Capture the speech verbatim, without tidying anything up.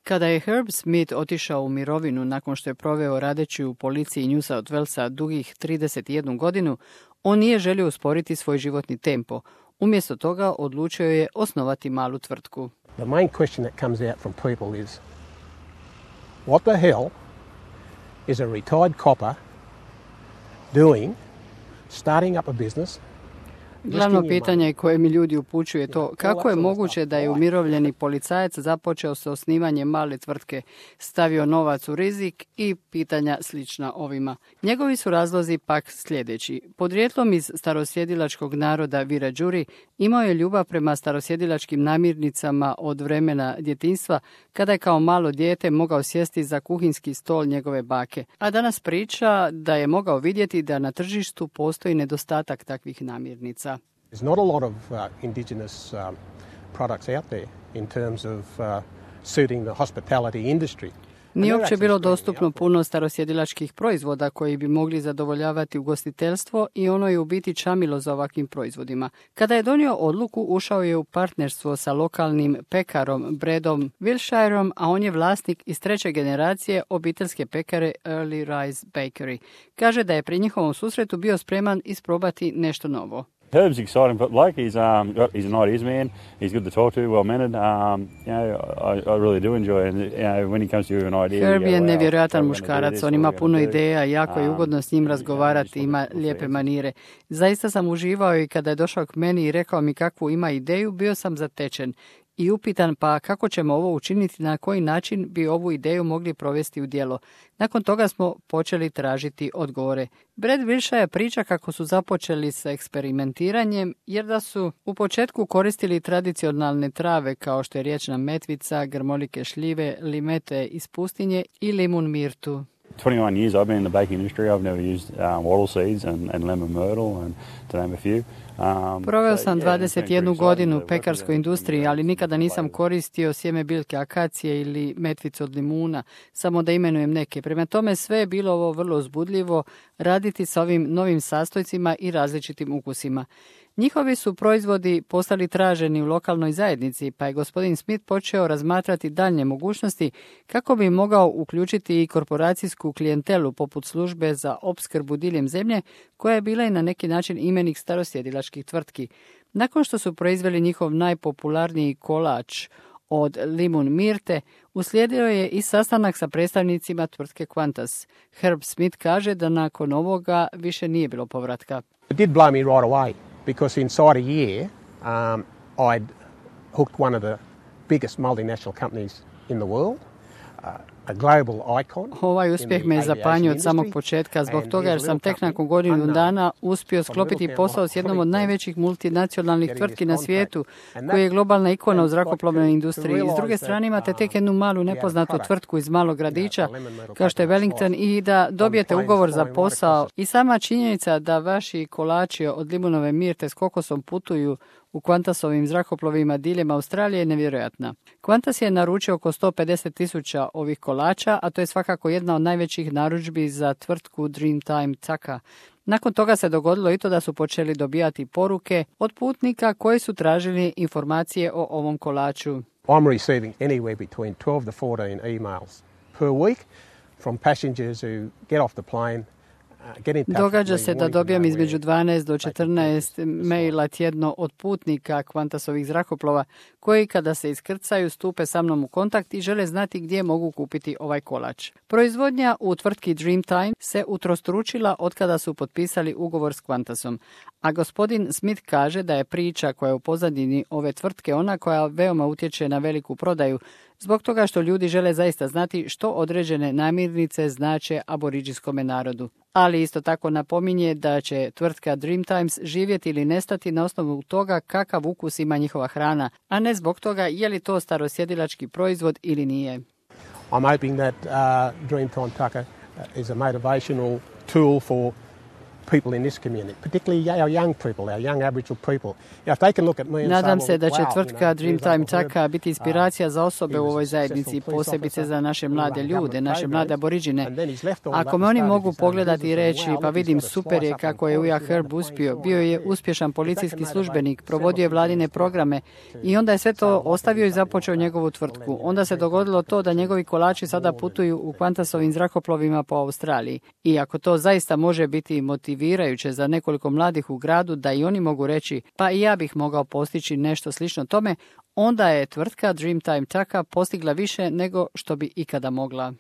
Kada je Herb Smith otišao u mirovinu nakon što je proveo radeći u policiji New South Walesa dugih trideset jednu godinu, on nije želio usporiti svoj životni tempo. Umjesto toga odlučio je osnovati malu tvrtku. The main question that comes out from people is, what the hell is a retired copper doing, starting up a business? Glavno pitanje koje mi ljudi upućuje je to kako je moguće da je umirovljeni policajac započeo sa osnivanjem male tvrtke, stavio novac u rizik i pitanja slična ovima. Njegovi su razlozi pak sljedeći. Podrijetlom iz starosjedilačkog naroda Wiradjuri imao je ljubav prema starosjedilačkim namirnicama od vremena djetinjstva, kada je kao malo dijete mogao sjesti za kuhinski stol njegove bake. A danas priča da je mogao vidjeti da na tržištu postoji nedostatak takvih namirnica. There's not a lot of uh, indigenous um, products out there in terms of uh, suiting the hospitality industry. Nije uopće bilo dostupno puno starosjedilačkih proizvoda koji bi mogli zadovoljavati ugostiteljstvo i ono je u biti čamilo za ovakvim proizvodima. Kada je donio odluku, ušao je u partnerstvo sa lokalnim pekarom Bradom Wilshireom, a on je vlasnik iz treće generacije obiteljske pekare Early Rise Bakery. Kaže da je pri njihovom susretu bio spreman isprobati nešto novo. Herb's exciting bloke. He's um he's an ideas man. He's good to talk to, well mannered. Um, you know, I, I really do enjoy. And you know, when he comes to you an idea, Herb je wow, nevjerojatan so muškarac. On ima puno ideja, jako je ugodno s njim razgovarati, ima lijepe manire. Zaista sam uživao i kada je došao k meni i rekao mi kakvu ima ideju, bio sam zatečen i upitan pa kako ćemo ovo učiniti, na koji način bi ovu ideju mogli provesti u djelo. Nakon toga smo počeli tražiti odgovore. Brad Wilshire priča kako su započeli sa eksperimentiranjem, jer da su u početku koristili tradicionalne trave kao što je riječna metvica, grmolike šljive, limete iz pustinje i limun mirtu. twenty-one years I've been in the baking industry. I've never used um, wattle seeds and, and lemon myrtle, and to name a few. Um, Proveo sam dvadeset jednu godinu u pekarskoj industriji, ali nikada nisam koristio sjeme biljke akacije ili metvicu od limuna, samo da imenujem neke. Prema tome sve je bilo ovo vrlo uzbudljivo raditi sa ovim novim sastojcima i različitim ukusima. Njihovi su proizvodi postali traženi u lokalnoj zajednici, pa je gospodin Smith počeo razmatrati daljnje mogućnosti kako bi mogao uključiti i korporacijsku klijentelu poput službe za opskrbu diljem zemlje, koja je bila i na neki način imenik starosjedilačkih tvrtki. Nakon što su proizveli njihov najpopularniji kolač od limun mirte, uslijedio je i sastanak sa predstavnicima tvrtke Qantas. Herb Smith kaže da nakon ovoga više nije bilo povratka. It did blow me right away. Because inside a year, um, I'd hooked one of the biggest multinational companies in the world, uh, a global icon. Ovaj uspjeh me je zapanjio od samog početka zbog toga jer sam tek nakon godinu dana uspio sklopiti posao s jednom od najvećih multinacionalnih tvrtki na svijetu, koji je globalna ikona u zrakoplovnoj industriji. S druge strane imate tek jednu malu nepoznatu tvrtku iz malog gradića, kao što je Wellington, i da dobijete ugovor za posao. I sama činjenica da vaši kolači od limunove mirte s kokosom putuju u Qantasovim zrakoplovima diljem Australije je nevjerojatna. Qantas je naručio oko sto pedeset tisuća ovih kolača, a to je svakako jedna od najvećih narudžbi za tvrtku Dreamtime Taka. Nakon toga se dogodilo i to da su počeli dobijati poruke od putnika koji su tražili informacije o ovom kolaču. I'm receiving anywhere between twelve to fourteen emails per week from passengers who get off the plane. Događa se da dobijam između dvanaest do četrnaest maila tjedno od putnika Qantasovih zrakoplova koji kada se iskrcaju stupe sa mnom u kontakt i žele znati gdje mogu kupiti ovaj kolač. Proizvodnja u tvrtki Dreamtime se utrostručila otkada su potpisali ugovor s Qantasom, a gospodin Smith kaže da je priča koja je u pozadini ove tvrtke ona koja veoma utječe na veliku prodaju, zbog toga što ljudi žele zaista znati što određene namirnice znače aboriđinskome narodu. Ali isto tako napominje da će tvrtka Dreamtimes živjeti ili nestati na osnovu toga kakav ukus ima njihova hrana, a ne zbog toga je li to starosjedilački proizvod ili nije. I'm hoping that uh, Dreamtime Tucker is a motivational tool for people in this community, particularly our young people, our young Aboriginal people. You know, if they can look at me and Nadam say, se well, da će wow, tvrtka you know, Dreamtime here's Uncle Taka Herb, biti inspiracija za osobe uh, u he was ovoj a zajednici, successful police posebice officer za naše who mlade ran ljude, government naše mlade programs, aboriđine. and then he's left all Ako that me and oni started mogu his own pogledati i business and reći, wow, pa look, he's vidim got a super je slice up kako in je Uja Portugal, Herb the Plains uspio, all bio je around uspješan here. policijski If that can službenik, motivate provodio je several vladine people programe to i onda je sve to start ostavio i looking započeo at njegovu that. tvrtku. Onda se dogodilo to da njegovi kolači sada putuju u Qantasovim zrakoplovima po Australiji. I ako to zaista može biti motivirajuće za nekoliko mladih u gradu da i oni mogu reći pa i ja bih mogao postići nešto slično tome, onda je tvrtka Dreamtime Taka postigla više nego što bi ikada mogla.